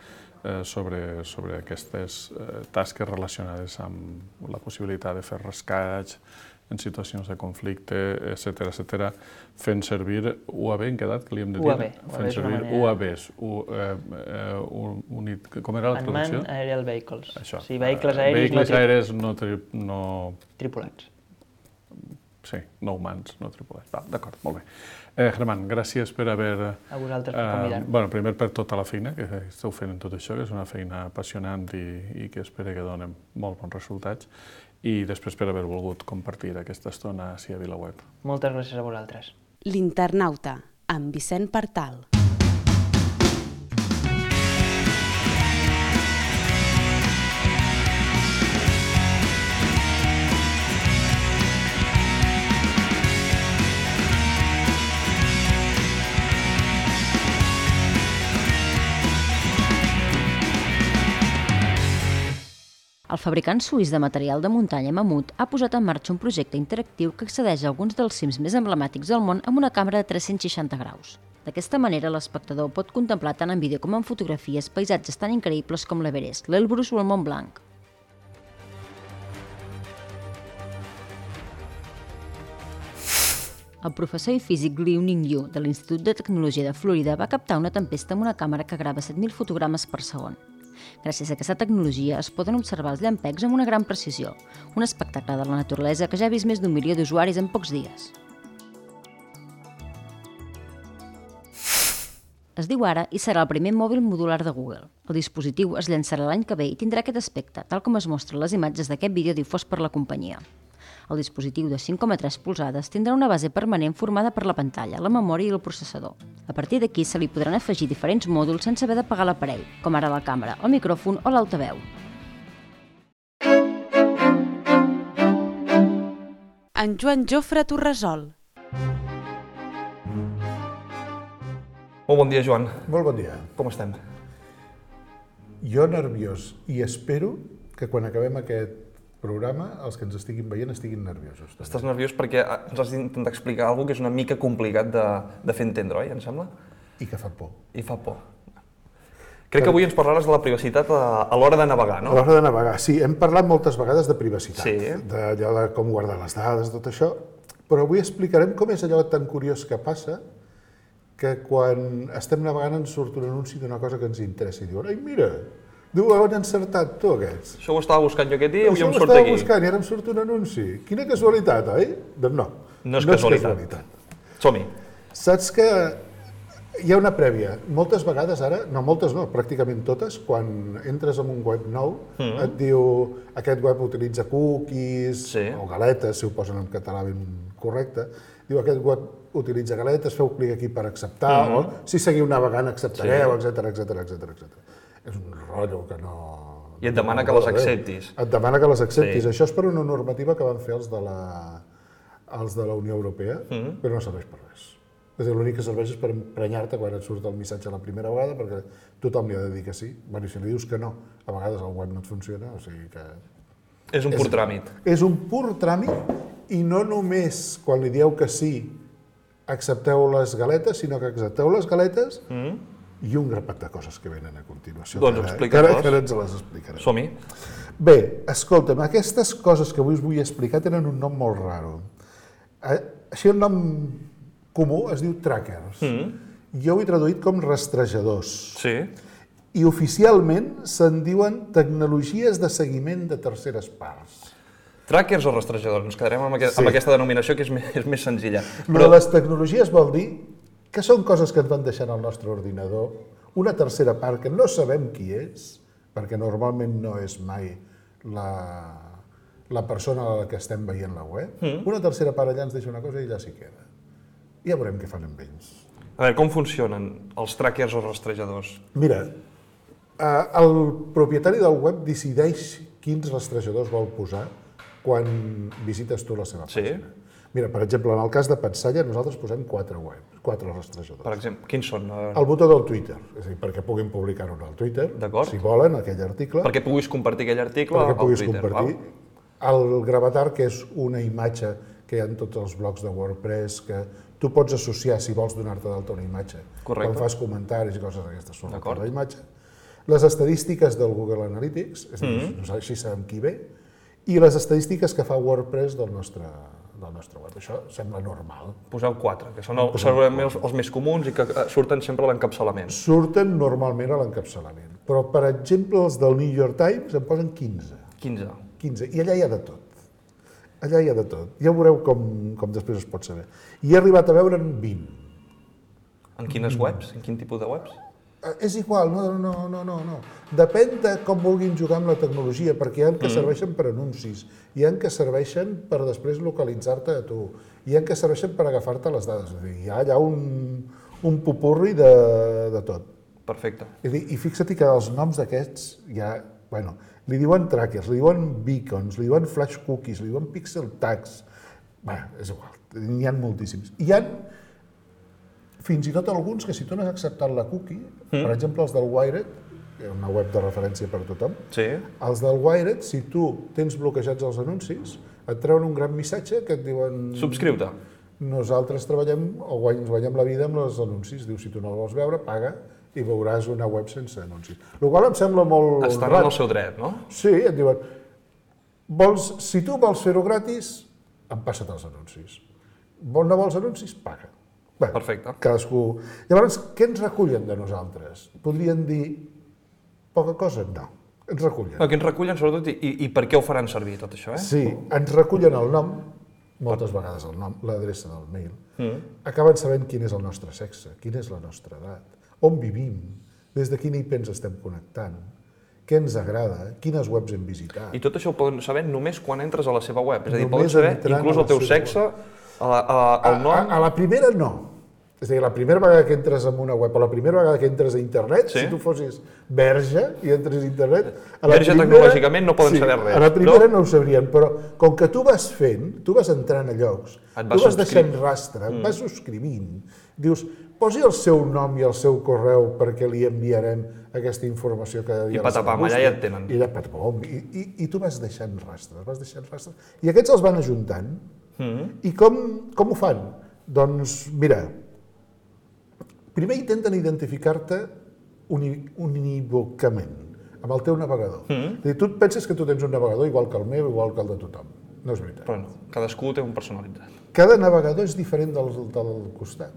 sobre aquestes tasques relacionades amb la possibilitat de fer rescats en situacions de conflicte, etc., fent servir UAV, en què edat que li hem de dir? UAV. Fent servir UAVs. Com era la traducció? Unmanned Aerial Vehicles. Això. Sí, vehicles aèris vehicles aèris no tripulats. Sí, no humans, no tripulats. D'acord, molt bé. Germán, gràcies per haver... A vosaltres per convidar-me. Primer per tota la feina que esteu fent en tot això, que és una feina apassionant i que espero que donem molt bons resultats, i després per haver volgut compartir aquesta estona ací a VilaWeb. Moltes gràcies a vosaltres. L'Internauta, amb Vicent Partal. El fabricant suís de material de muntanya Mamut ha posat en marxa un projecte interactiu que accedeix a alguns dels cims més emblemàtics del món amb una càmera de 360 graus. D'aquesta manera, l'espectador pot contemplar tant en vídeo com en fotografies paisatges tan increïbles com l'Everest, l'Elbrus o el Mont Blanc. El professor i físic Liu Ningyu de l'Institut de Tecnologia de Florida va captar una tempesta amb una càmera que grava 7.000 fotogrames per segon. Gràcies a aquesta tecnologia es poden observar els llampecs amb una gran precisió, un espectacle de la naturalesa que ja ha vist més d'1 milió d'usuaris en pocs dies. Es diu Ara i serà el primer mòbil modular de Google. El dispositiu es llançarà l'any que ve i tindrà aquest aspecte, tal com es mostra en les imatges d'aquest vídeo difós per la companyia. El dispositiu de 5,3 polzades tindrà una base permanent formada per la pantalla, la memòria i el processador. A partir d'aquí se li podran afegir diferents mòduls sense haver d'apagar l'aparell, com ara la càmera, el micròfon o l'altaveu. En Joan Jofre Torresol. Molt bon dia, Joan. Molt bon dia. Com estem? Jo nerviós i espero que quan acabem aquest programa els que ens estiguin veient estiguin nerviosos. Estàs nerviós perquè ens has d'intentar explicar alguna cosa que és una mica complicat de fer entendre, oi, em sembla? I que fa por. I fa por. Crec que avui ens parlaràs de la privacitat a l'hora de navegar, no? A l'hora de navegar, sí. Hem parlat moltes vegades de privacitat, Sí. d'allò de com guardar les dades, tot això, però avui explicarem com és allò tan curiós que passa que quan estem navegant ens surt un anunci d'una cosa que ens interessa i diuen «Ai, mira, diu, on han encertat tu, aquests?» Això ho estava buscant jo aquest dia i avui em surt Això ho estava aquí. buscant i ara em surt un anunci. Quina casualitat, oi? Doncs no. No és casualitat. Som-hi. Saps que hi ha una prèvia. Moltes vegades ara, no moltes no, pràcticament totes, quan entres en un web nou, et diu aquest web utilitza cookies o galetes, si ho posen en català ben correcte, diu aquest web utilitza galetes, feu clic aquí per acceptar, o si seguiu navegant acceptareu, etc. És un rotllo que no... I et demana que les acceptis. Et demana que les acceptis. Això és per una normativa que van fer els de la Unió Europea, però no serveix per res. És a dir, l'únic que serveix és per emprenyar-te quan et surt el missatge la primera vegada, perquè tothom li ha de dir que sí. Bé, i si li dius que no, a vegades el web no et funciona, o sigui que... És un pur tràmit. És un pur tràmit i no només quan li dieu que sí accepteu les galetes, sinó que accepteu les galetes i un grapat de coses que venen a continuació. Doncs explica-les. Que ara ens les explicarem. Som-hi. Bé, escolta'm, aquestes coses que avui us vull explicar tenen un nom molt raro. Així el nom comú es diu trackers. Jo ho he traduït com rastrejadors. Sí. I oficialment se'n diuen tecnologies de seguiment de terceres parts. Trackers o rastrejadors? Ens quedarem amb aquesta denominació que és més senzilla. Però les tecnologies vol dir que són coses que ens van deixant al nostre ordinador, una tercera part que no sabem qui és, perquè normalment no és mai la persona a la que estem veient la web, una tercera part allà ens deixa una cosa i allà s'hi queda. I ja veurem què fan amb ells. A veure, com funcionen els trackers o rastrejadors? Mira, el propietari del web decideix quins rastrejadors vol posar quan visites tu la seva pàgina. Mira, per exemple, en el cas de Patsalla, nosaltres posem 4 rastrejadors. Per exemple, quins són? El botó del Twitter, és a dir, perquè puguin publicar-ho al Twitter, si volen, aquell article. Perquè puguis compartir aquell article al Twitter. Perquè puguis compartir. El gravatar, que és una imatge que hi ha en tots els blocs de WordPress, que tu pots associar, si vols donar-te d'alta una imatge, quan fas comentaris i coses d'aquestes sobre la imatge. Les estadístiques del Google Analytics, és a dir, així sabem qui ve, i les estadístiques que fa WordPress del nostre web. Això sembla normal. Poseu 4, que són segurament els més comuns i que surten sempre a l'encapçalament. Surten normalment a l'encapçalament, però per exemple els del New York Times en posen 15. 15. I allà hi ha de tot. Allà hi ha de tot. Ja veureu com després es pot saber. I he arribat a veure'n 20. En quines webs? En quin tipus de webs? És igual, no. Depèn de com vulguin jugar amb la tecnologia, perquè hi ha que serveixen per anuncis, hi ha que serveixen per després localitzar-te a tu, hi ha que serveixen per agafar-te les dades. És a dir, hi ha allà un popurri de tot. Perfecte. I fixa't que els noms d'aquests ja, li diuen trackers, li diuen beacons, li diuen flash cookies, li diuen pixel tags. És igual, n'hi ha moltíssims. Hi ha fins i tot alguns que si tu no has acceptat la cookie, per exemple els del Wired, una web de referència per tothom, els del Wired, si tu tens bloquejats els anuncis, et treuen un gran missatge que et diuen... Subscriu-te. Nosaltres treballem o ens guanyem la vida amb els anuncis. Diu, si tu no el vols veure, paga i veuràs una web sense anuncis. El qual em sembla molt... Estan en el seu dret, no? Sí, et diuen, si tu vols fer-ho gratis, em passa't els anuncis. No vols anuncis? Paga. Perfecte. Cadascú... Llavors, què ens recullen de nosaltres? Podrien dir poca cosa? No, ens recullen. Què ens recullen, sobretot, i per què ho faran servir, tot això? Sí, ens recullen el nom, moltes vegades el nom, l'adreça del mail, acaben sabent quin és el nostre sexe, quina és la nostra edat, on vivim, des de quina IP ens estem connectant, què ens agrada, quines webs hem visitat. I tot això ho poden saber només quan entres a la seva web, és a dir, poden saber inclús el teu sexe, el nom... A la primera no. És a dir, la primera vegada que entres en una web o la primera vegada que entres a internet, si tu fossis verge i entres a internet... Verge tecnològicament no poden saber res. A la primera no ho sabrien, però com que tu vas fent, tu vas entrant a llocs, tu vas deixant rastre, vas subscrivint, dius, posi el seu nom i el seu correu perquè li enviarem aquesta informació cada dia. I patapam, allà ja et tenen. I allà patapam, i tu vas deixant rastres, i aquests els van ajuntant. I com ho fan? Doncs mira, primer intenten identificar-te unívocament amb el teu navegador. Tu et penses que tu tens un navegador igual que el meu, igual que el de tothom. No és veritat. Però no, cadascú té un personalitzat. Cada navegador és diferent del costat.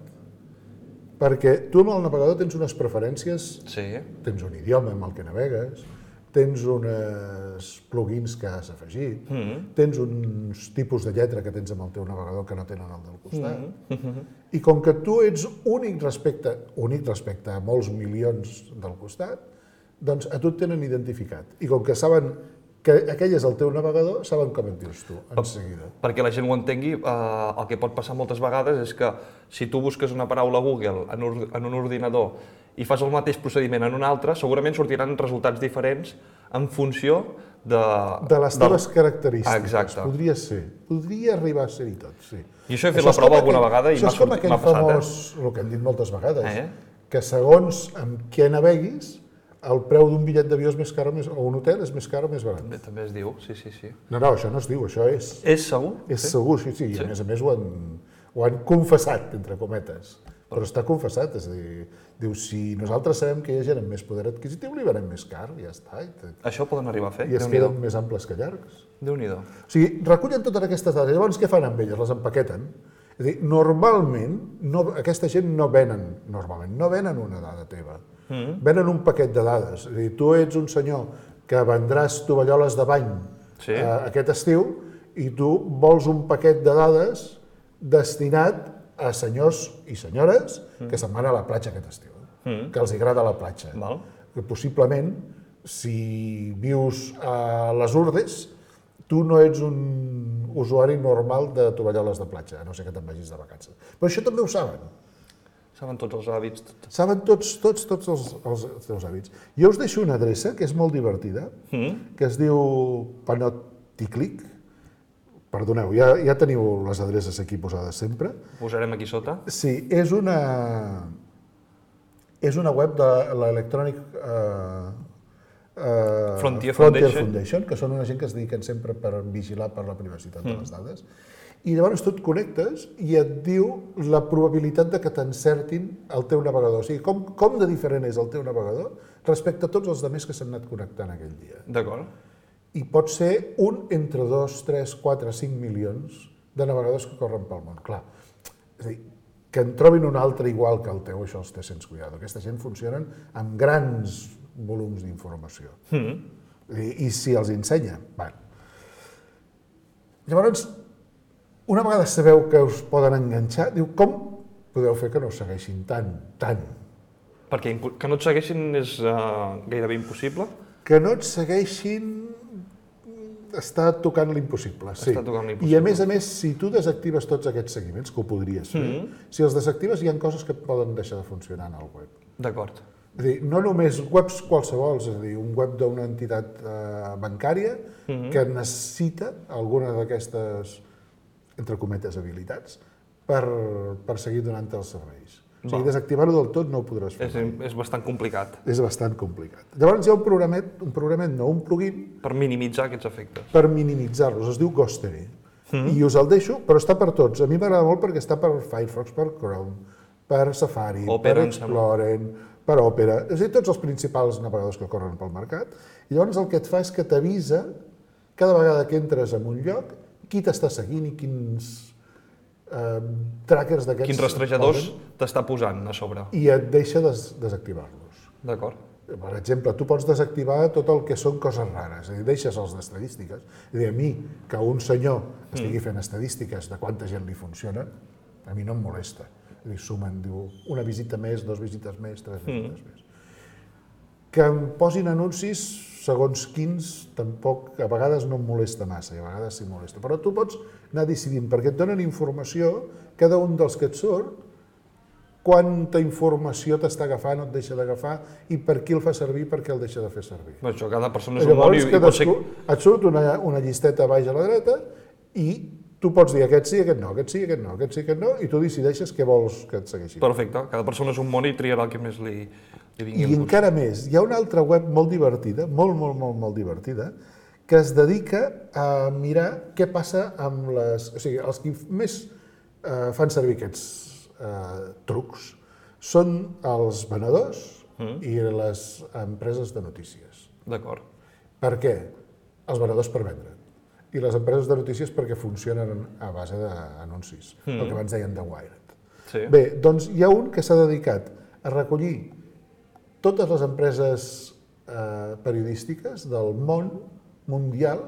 Perquè tu amb el navegador tens unes preferències, tens un idioma amb el que navegues, tens uns plugins que has afegit, tens uns tipus de lletra que tens amb el teu navegador que no tenen el del costat. I com que tu ets únic respecte a molts milions del costat, doncs a tu et tenen identificat. I com que saben que aquell és el teu navegador, saben com et dius tu, en seguida. Perquè la gent ho entengui, el que pot passar moltes vegades és que si tu busques una paraula a Google en un ordinador i fas el mateix procediment en un altre, segurament sortiran resultats diferents en funció de les teves característiques. Exacte. Podria ser. Podria arribar a ser-hi tot, sí. I això he fet la prova alguna vegada i m'ha passat. Això és com aquell famós, el que hem dit moltes vegades, que segons amb què naveguis, el preu d'un bitllet d'avió és més car o un hotel és més car o més barat. També es diu, sí. No, això no es diu, això és. És segur? És segur, sí. I a més ho ho han confessat, entre cometes, però està confessat, és a dir, diu, si nosaltres sabem que hi ha gent amb més poder adquisitiu, li venem més car, i ja està. Això ho poden arribar a fer? I es queden més amples que llargs. Déu-n'hi-do. O sigui, recullen totes aquestes dades, llavors què fan amb elles? Les empaqueten. És a dir, normalment, aquesta gent no venen una dada teva, venen un paquet de dades. És a dir, tu ets un senyor que vendràs tovalloles de bany aquest estiu i tu vols un paquet de dades destinat a senyors i senyores que se'n van a la platja aquest estiu, que els agrada la platja. Que possiblement, si vius a les Urdes, tu no ets un usuari normal de tovalloles de platja, a no ser que te'n vagis de vacances. Però això també ho saben. Saben tots els hàbits. Saben tots els teus hàbits. Jo us deixo una adreça que és molt divertida, que es diu Panopticlick. Perdoneu, ja teniu les adreces aquí posades sempre. Posarem aquí sota. Sí, és una web de l'Electronic Frontier Foundation, que són una gent que es dediquen sempre per vigilar per la privacitat de les dades. I llavors tu et connectes i et diu la probabilitat de que t'encertin el teu navegador. O sigui, com de diferent és el teu navegador respecte a tots els altres que s'han anat connectant aquell dia. D'acord. I pot ser un entre 2, 3, 4, 5 milions de navegadors que corren pel món. Clar, és a dir, que en trobin un altre igual que el teu, això els té sense cuidado. Aquesta gent funcionen amb grans volums d'informació. I si els ensenya, van. Llavors, una vegada sabeu que us poden enganxar, diu, com podeu fer que no us segueixin tant? Perquè que no et segueixin és gairebé impossible? Que no et segueixin està tocant l'impossible, sí. I a més, si tu desactives tots aquests seguiments, que ho podries fer, si els desactives hi ha coses que poden deixar de funcionar en el web. D'acord. És a dir, no només webs qualsevol, és a dir, un web d'una entitat bancària que necessita alguna d'aquestes, entre cometes, habilitats per seguir donant els serveis. O sigui, desactivar-ho del tot no ho podràs fer. És bastant complicat. És bastant complicat. Llavors hi ha un plugin... Per minimitzar aquests efectes. Per minimitzar-los, es diu Ghostery. I us el deixo, però està per tots. A mi m'agrada molt perquè està per Firefox, per Chrome, per Safari, per Explorer, per Opera, és a dir, tots els principals navegadors que corren pel mercat. I llavors el que et fa és que t'avisa cada vegada que entres en un lloc qui t'està seguint i quins trackers d'aquests... Quins rastrejadors t'està posant a sobre. I et deixa desactivar-los. D'acord. Per exemple, tu pots desactivar tot el que són coses rares, és a dir, deixes els d'estadístiques. És a dir, a mi, que un senyor estigui fent estadístiques de quanta gent li funciona, a mi no em molesta. És a dir, sumen, diu, una visita més, 2 visites més, 3 visites més. Que em posin anuncis segons quins, tampoc, a vegades no em molesta massa, i a vegades sí molesta. Però tu pots anar decidint, perquè et donen informació, cada un dels que et surt, quanta informació t'està agafant o et deixa d'agafar i per qui el fa servir i per què el deixa de fer servir. Això, cada persona és un món i pot ser... Et surt una llisteta a baix a la dreta i tu pots dir aquest sí, aquest no, aquest sí, aquest no, aquest sí, aquest no, i tu decideixes què vols que et segueixi. Perfecte, cada persona és un món i triarà el que més li vingui. I encara més, hi ha una altra web molt divertida, molt divertida, que es dedica a mirar què passa amb les... O sigui, els que més fan servir aquests trucs són els venedors i les empreses de notícies. D'acord. Per què? Els venedors per vendre. I les empreses de notícies perquè funcionen a base d'anuncis, el que abans deien de Wired. Sí. Bé, doncs hi ha un que s'ha dedicat a recollir totes les empreses periodístiques del món mundial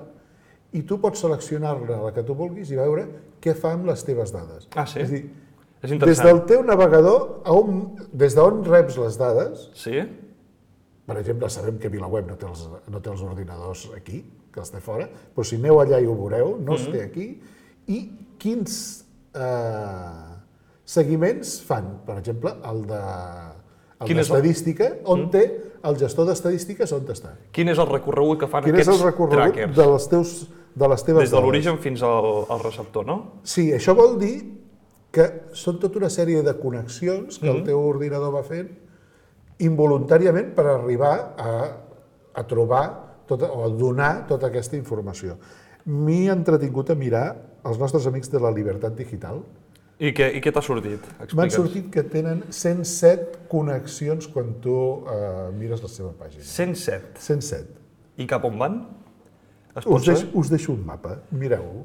i tu pots seleccionar-ne la que tu vulguis i veure què fa amb les teves dades. Ah, sí? És dir, és interessant. des del teu navegador, des d'on reps les dades, sí? Per exemple, sabem que VilaWeb no té els ordinadors aquí, que els té fora, però si aneu allà i ho veureu, no els té aquí, i quins seguiments fan. Per exemple, el d'estadística, on té el gestor d'estadístiques, on està. Quin és el recorregut que fan aquests trackers? Quin és el recorregut de les teves dades? Des de l'origen fins al receptor, no? Sí, això vol dir que són tota una sèrie de connexions que el teu ordinador va fent involuntàriament per arribar a trobar o a donar tota aquesta informació. M'he entretingut a mirar els nostres amics de la Libertat Digital, I què t'ha sortit? M'han sortit que tenen 107 connexions quan tu mires la seva pàgina. 107? 107. I cap on van? Us deixo un mapa, mireu-ho.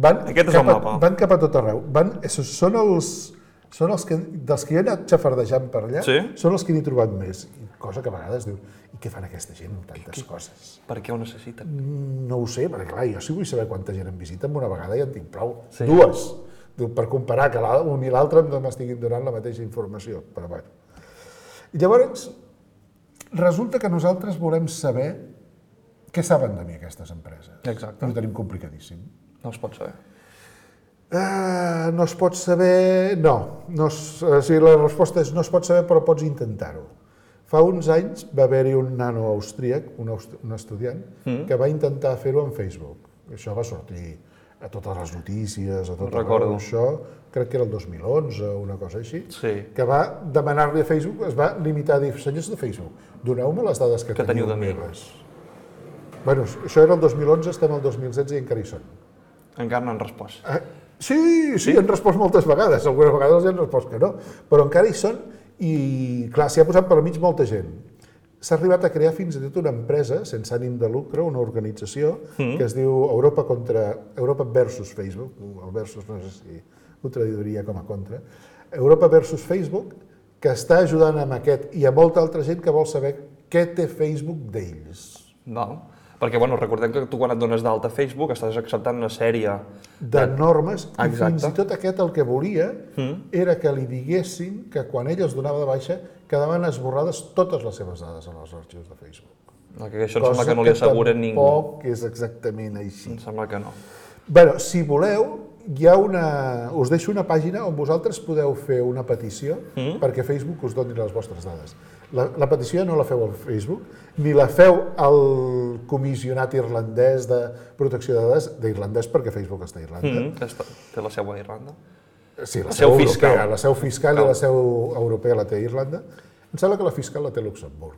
Aquest és el mapa. Van cap a tot arreu. Són els que, dels que he anat xafardejant per allà, són els que n'he trobat més. Cosa que a vegades diu, i què fan aquesta gent amb tantes coses? Per què ho necessiten? No ho sé, perquè clar, jo sí vull saber quanta gent em visita amb una vegada i en tinc prou. Dues, per comparar que un i l'altre m'estiguin donant la mateixa informació. Però bueno. Llavors, resulta que nosaltres volem saber què saben de mi aquestes empreses. Exacte. I ho tenim complicadíssim. No es pot saber. No es pot saber... No. La resposta és no es pot saber, però pots intentar-ho. Fa uns anys va haver-hi un nano austríac, un estudiant, que va intentar fer-ho en Facebook. Això va sortir a totes les notícies, a tot arreu. Això crec que era el 2011 o una cosa així, que va demanar-li a Facebook, es va limitar a dir, senyors de Facebook, doneu-me les dades que teniu meves. Bueno, això era el 2011, estem al 2016 i encara hi són. Encara no han respost. Sí, han respost moltes vegades, algunes vegades han respost que no, però encara hi són i, clar, s'hi ha posat per mig molta gent. S'ha arribat a crear fins i tot una empresa, sense ànim de lucre, una organització, que es diu Europa versus Facebook, el versus no sé si ho traduiria com a contra, Europa versus Facebook, que està ajudant amb aquest i a molta altra gent que vol saber què té Facebook d'ells. Perquè, recordem que tu quan et dones d'alta a Facebook estàs acceptant una sèrie de normes i fins i tot aquest el que volia era que li diguessin que quan ell es donava de baixa quedaven esborrades totes les seves dades en els arxius de Facebook. Que això em sembla que no li asseguren ningú. Cosa que tampoc és exactament així. Em sembla que no. Bé, si voleu, us deixo una pàgina on vosaltres podeu fer una petició perquè Facebook us doni les vostres dades. La petició no la feu al Facebook, ni la feu al comissionat irlandès de protecció de dades, d'irlandès perquè Facebook està a Irlanda. Té la seu a Irlanda? Sí, la seu europea, la seu fiscal i la seu europea la té a Irlanda. Em sembla que la fiscal la té a Luxemburg.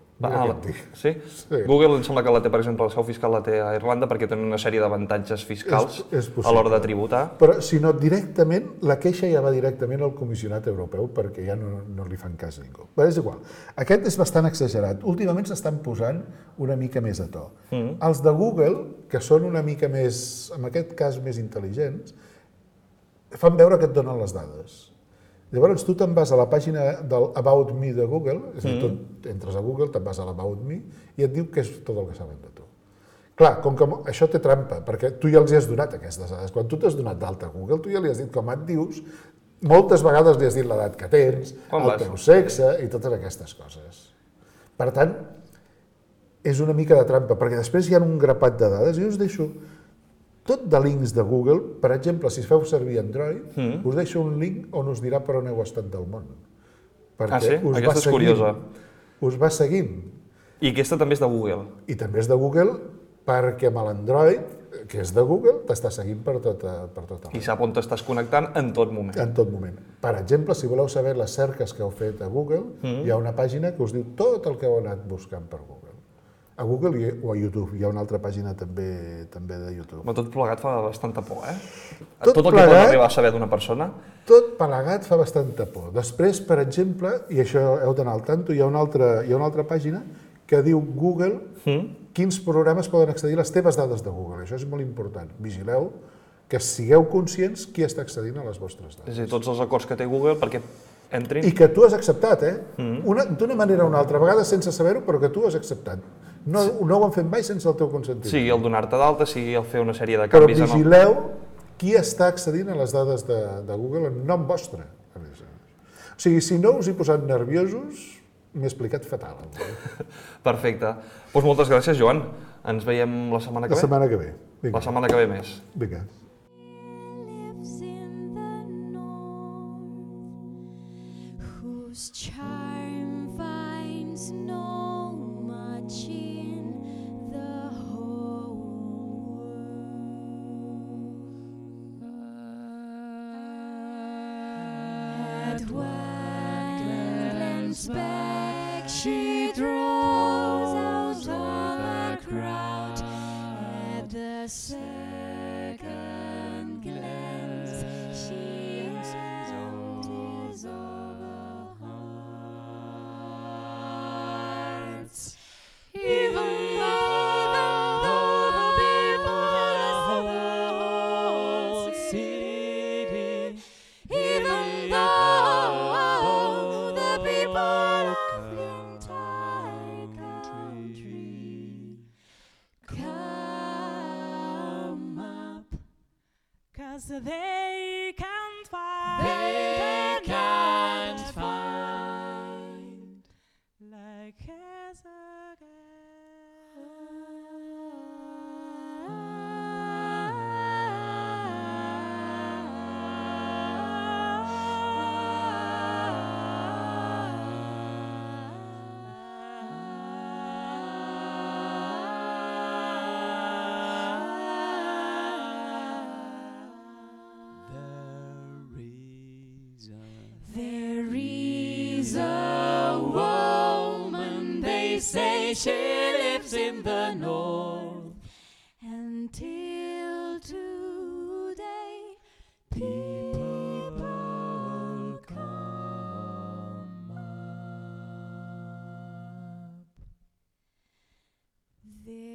Sí? Google em sembla que la té, per exemple, la seu fiscal la té a Irlanda perquè tenen una sèrie d'avantatges fiscals a l'hora de tributar. Però, si no, directament, la queixa ja va directament al comissionat europeu perquè ja no li fan cas a ningú. Però és igual. Aquest és bastant exagerat. Últimament s'estan posant una mica més a to. Els de Google, que són una mica més, en aquest cas, més intel·ligents, fan veure que et donen les dades. Llavors, tu te'n vas a la pàgina del About Me de Google, és a dir, tu entres a Google, te'n vas a l'About Me i et diu què és tot el que saben de tu. Clar, com que això té trampa, perquè tu ja els hi has donat aquestes dades. Quan tu t'has donat d'alta a Google, tu ja li has dit com et dius, moltes vegades li has dit l'edat que tens, el teu sexe i totes aquestes coses. Per tant, és una mica de trampa, perquè després hi ha un grapat de dades i us deixo tot de links de Google. Per exemple, si feu servir Android, us deixo un link on us dirà per on heu estat del món. Sí? Aquesta és curiosa. Us va seguint. I aquesta també és de Google? I també és de Google perquè amb l'Android, que és de Google, t'està seguint per tot arreu. I sap on t'estàs connectant en tot moment. En tot moment. Per exemple, si voleu saber les cerques que heu fet a Google, hi ha una pàgina que us diu tot el que heu anat buscant per Google. A Google o a YouTube. Hi ha una altra pàgina també de YouTube. Tot plegat fa bastanta por, Tot el que pot arribar a saber d'una persona? Tot plegat fa bastanta por. Després, per exemple, i això heu d'anar al tanto, hi ha una altra pàgina que diu Google quins programes poden accedir a les teves dades de Google. Això és molt important. Vigileu que sigueu conscients qui està accedint a les vostres dades. És a dir, tots els acords que té Google perquè entrin... I que tu has acceptat, d'una manera o una altra, a vegades sense saber-ho, però que tu has acceptat. No ho han fet mai sense el teu consentiment. Sigui el donar-te d'alta, sigui el fer una sèrie de canvis... Però vigileu qui està accedint a les dades de Google en nom vostre. O sigui, si no us hi posat nerviosos, m'he explicat fatal. Perfecte. Doncs moltes gràcies, Joan. Ens veiem la setmana que ve? La setmana que ve. La setmana que ve més. Vinga. Back, she draws out all the crowd at the second glance. She 'cause they can't find. They can't find. Like as a There is a woman, they say she lives in the north. Until today, people come up. There